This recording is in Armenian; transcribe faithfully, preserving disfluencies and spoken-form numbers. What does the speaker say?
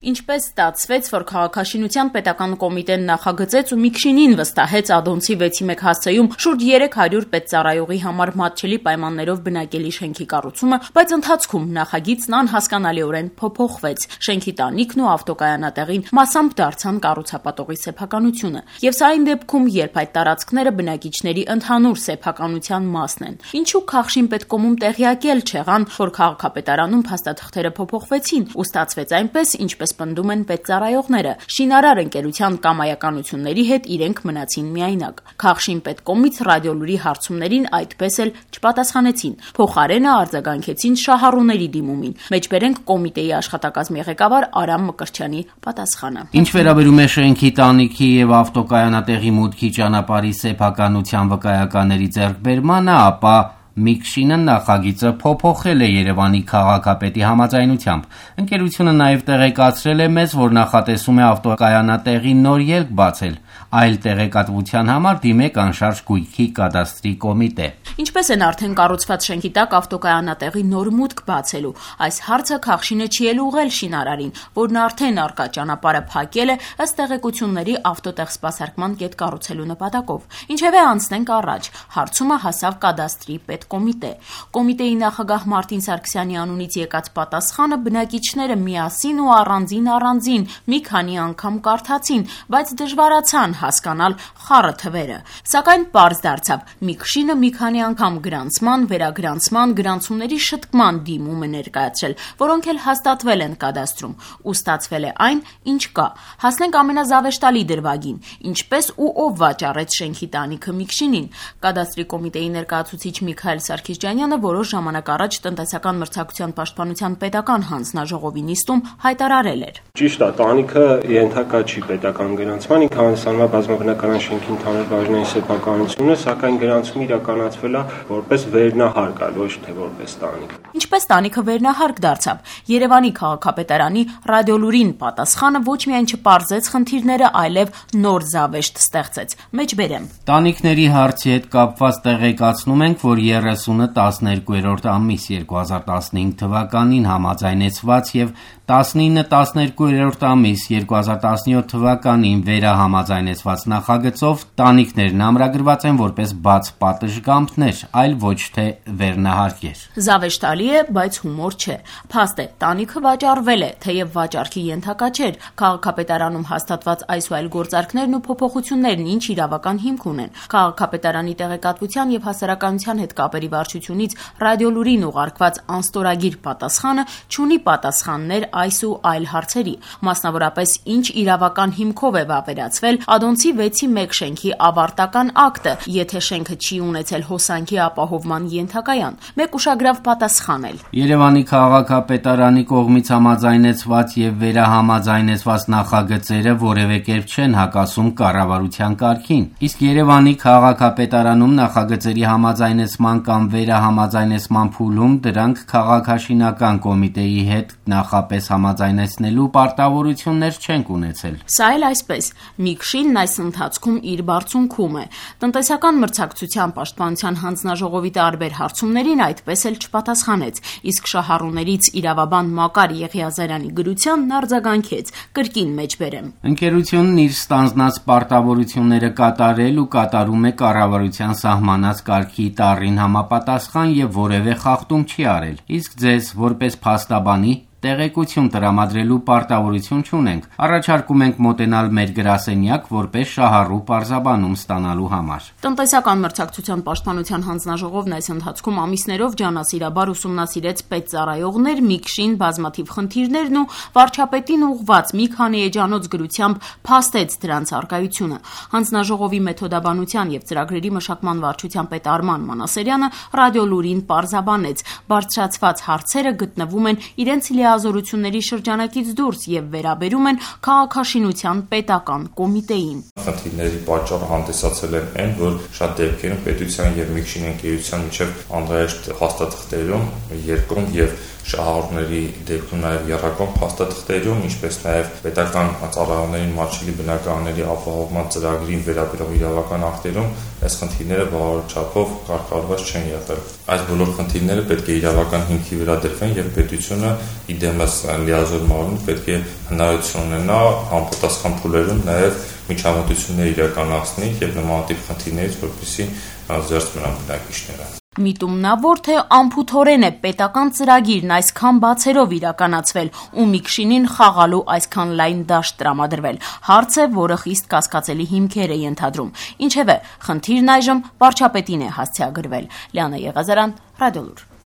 Ինչպես ստացվեց, որ քաղաքաշինության պետական կոմիտեն նախագծեց ու Միքշինին վստահեց Ադոնցի վեցի մեկ հասցեում շուրջ երեք հարյուր պետծառայողի համար մատչելի պայմաններով բնակելի շենքի կառուցումը, բայց ընթացքում նախագիծն անհասկանալիորեն փոփոխվեց։ Շենքի տանիքն ու ավտոկայանատեղին մասամբ դարձան կառուցապատողի սեփականությունը։ Եվ սա այն դեպքում, երբ այդ տարածքները բնակիչների ընդհանուր սեփականության մասն են։ Ինչու Քաղշին պետկոմում տեղյակել չեղան, որ քաղաքապետարանում փաստաթղթերը փոփոխվեցին ու ստացվեց այնպես, ինչպես պնդում են պետծառայողները։ Շինարար ընկերության կամայականությունների հետ իրենք մնացին միայնակ։ Քաղշին պետկոմից ռադիոլուրի հարցումներին այդպես էլ չպատասխանեցին։ Փոխարենը արձագանքեցին շահառուների դիմումին։ Մեջբերենք կոմիտեի աշխատակազմի ղեկավար Արամ Մկրտչյանի պատասխանը։ Ինչ վերաբերում է շենքի տանիքի եւ ավտոկայանատեղի մուտքի ճանապարհի սեփականության վկայականների ձեռքբերմանը, ապա Միքշինը նախագիծը փոփոխել է Երևանի քաղաքապետի համաձայնությամբ։ Ընկերությունը նաև տեղեկացրել է մեզ, որ նախատեսում է ավտոկայանատեղի նոր ելք բացել, այլ տեղեկատվության համար դիմեք անշարժ գույքի կադաստրի կոմիտե։ Ինչպես են արդեն կառուցված շենքի տակ ավտոկայանատեղի նոր մուտք բացելու։ Այս հարցը Քաղշինը չի էլ ուղղել շինարարին, որն արդեն արկա ճանապարհը փակել է ըստ տեղեկությունների ավտոտեղ սպասարկման կետ կառուցելու նպատակով։ Ինչևէ անցնենք առաջ։ Հարցումը հասավ կադաստրի պետկոմիտե։ Կոմիտեի նախագահ Մարտին Սարգսյանի անունից եկած պատասխանը բնակիչները միասին ու առանձին առանձին մի քանի անգամ կարդացին, բայց դժվարացան հասկանալ խառը թվերը։ Սակայն պարզ դարձավ, Միքշինը մի քանի անգամ գրանցման, վերագրանցման, գրանցումների շտկման դիմում է ներկայացրել, որոնք էլ հաստատվել են կադաստրում, ու ստացվել է այն, ինչ կա։ Հասնենք ամենազավեշտալի դրվագին, ինչպես ու ով վաճառեց շենքի տանիքը Միքշինին։ Կադաստրի կոմիտեի ներկայացուցիչ Միքայել Սարգսյանը որոշ ժամանակ առաջ տնտեսական մրցակցության պաշտպանության պետական հանձնաժողովի նիստում հայտարարել էր. Ճիշտ է, տանիքը ենթակա չի պետական գրանցման, ինքը հանդիսանում է բազմաբնակարան շենքի ընդհանուր բաժնային սեփականությունը, սակայն գրանցումը իրականացվել է որպես վերնահարկ, ոչ թե որպես տանիք։ Ինչպես տանիքը վերնահարկ դարձավ։ Երևանի քաղաքապետարանի ռադիոլուրին պատասխանը ոչ միայն չպարզեց խնդիրները, այլև նոր զավեշտ ստեղծեց։ Մեջբերեմ. Տանիքների հարցի հետ կապված տեղեկացնում ենք, որ երեսունը տասներկուերորդ ամիս երկու հազար տասնհինգ թվականին համաձայնեցված եւ տասնինը տասներկուերորդ ամիս երկու հազար տասնյոթ թվականին վերահամաձայնեցված նախագծով տանիքներն ամրագրված են որպես բաց պատշգամբներ, այլ ոչ թե վերնահարկեր։ Զավեշտալի է, բայց հումոր չէ։ Փաստ է, տանիքը վաճառվել է, թեև վաճառքի ենթակա չէր։ Քաղաքապետարանում հաստատված այս ու այլ գործարքներն ու փոփոխություններն ինչ իրավական հիմք ունեն։ Քաղաքապետարանի տեղեկատվության եւ հասարակայնության հետ կապերի վարչությունից ռադիոլուրին ուղարկված անստորագիր պատասխանը չունի պատասխաններ այս ու այլ հարցերի, մասնավորապես ինչ իրավական հիմքով է վավերացվել Ադոնցի վեցի մեկ շենքի ավարտական ակտը, եթե շենքը չի ունեցել հոսանքի ապահովման ենթակայան։ Մեկ ուշագրավ պատասխան էլ. Երևանի քաղաքապետարանի կողմից համաձայնեցված եւ վերահամաձայնեցված նախագծերը որևէ կերպ չեն հակասում կառավարության կարգին, իսկ Երևանի քաղաքապետարանում նախագծերի համաձայնեցման կամ վերահամաձայնեցման փուլում դրանք քաղաքաշինական կոմիտեի հետ նախապես համաձայնեցնելու պարտավորություններ չենք ունեցել։ Սա էլ այսպես, Միքշինն այս ընթացքում իր բարձունքում է։ Տնտեսական մրցակցության պաշտպանության հանձնաժողովի տարբեր հարցումներին այդպես էլ չպատասխանեց, իսկ շահառուներից իրավաբան Մակար Եղիազարյանի գրությանն արձագանքեց, կրկին մեջբերեմ. Ընկերությունն իր ստանձնած պարտավորությունները կատարել ու կատարում է կառավարության սահմանած կարգի տառին համապատասխան եւ որևէ խախտում չի արել, իսկ ձեզ որպես փաստաբանի տեղեկություն տրամադրելու պարտավորություն չունենք։ Առաջարկում ենք մոտենալ մեր գրասենյակ որպես շահառու պարզաբանում ստանալու համար։ Տնտեսական մրցակցության պաշտպանության հանձնաժողովն այս ընթացքում ամիսներով ջանասիրաբար ուսումնասիրեց պետծառայողներ, Միքշին, բազմաթիվ խնդիրներն ու վարչապետին ուղղված մի քանի էջանոց գրությամբ փաստեց դրանց առկայությունը։ Հանձնաժողովի մեթոդաբանության եւ ծրագրերի մշակման վարչության պետ Արման Մանասերյանը ռադիոլուրին պարզաբանեց. բարձրացված հարցերը գտնվում են իրենց լիազորությունների շրջանակից դուրս եւ վերաբերում են քաղաքաշինության պետական կոմիտեին։ Խնդիրների պատճառը հանդիսացել են այն, որ շատ դեպքերում պետության եւ Միքշին ընկերության միջև անհրաժեշտ հաստատություններում երկրում եւ շահառուների դեպքում նաև եռակողմ փաստաթղթերում, ինչպես նաև պետական ծառայողների մատչելի բնակարանների ապահովման ծրագրին վերաբերող իրավական ակտերում այս խնդիրները բավարար չափով կարգավորված չեն եղել։ Այս բոլոր խնդիրները պետք է իրավական հիմքի վրա դրվեն եւ պետությունը իդեմս լիազորմարուն պետք է հնարավորություն ունենա համապատասխան փուլերում նաև միջամտություններ իրականացնի եւ նմանատիպ խնդիրներից որպեսզի զերծ մնան բնակիչները։ Միտումնավոր թե անփութորեն է պետական ծրագիրն այսքան բացերով իրականացվել ու Միքշինին խաղալու այսքան լայն դաշտ տրամադրվել։ Հարց է, որը խիստ կասկածելի հիմքեր է ենթադրում։ Ինչևէ, խնդիրն այժմ վարչապետին է հասցեագրվել։ Լիանա Եղազարյան, Ռադիոլուր։